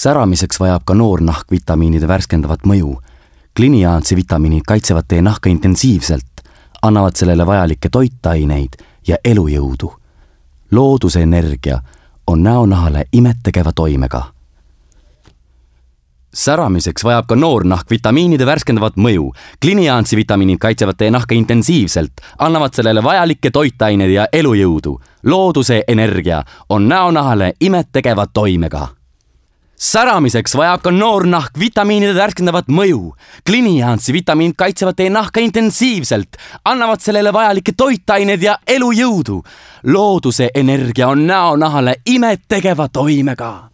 Säramiseks vajab ka noor nahk vitamiinide värskendavat mõju. Kliniaansi vitamiinid kaitsevad teie nahka intensiivselt, annavad sellele vajalikke toitaineid ja elujõudu. Looduse energia on näonahale imettegeva toimega. Säramiseks vajab ka noor nahk vitamiinide värskendavat mõju. Kliniaansi vitamiinid kaitsevad teie nahka intensiivselt, annavad sellele vajalikke toitaineid ja elujõudu. Looduse energia on näonahale imettegeva toimega. Säramiseks vajab ka noor nahk vitamiinide värskendavat mõju. Kliniaansi vitamiinid kaitsevad teie nahka intensiivselt, annavad sellele vajalikke toitaineid ja elujõudu. Looduse energia on näonahale imettegeva toimega.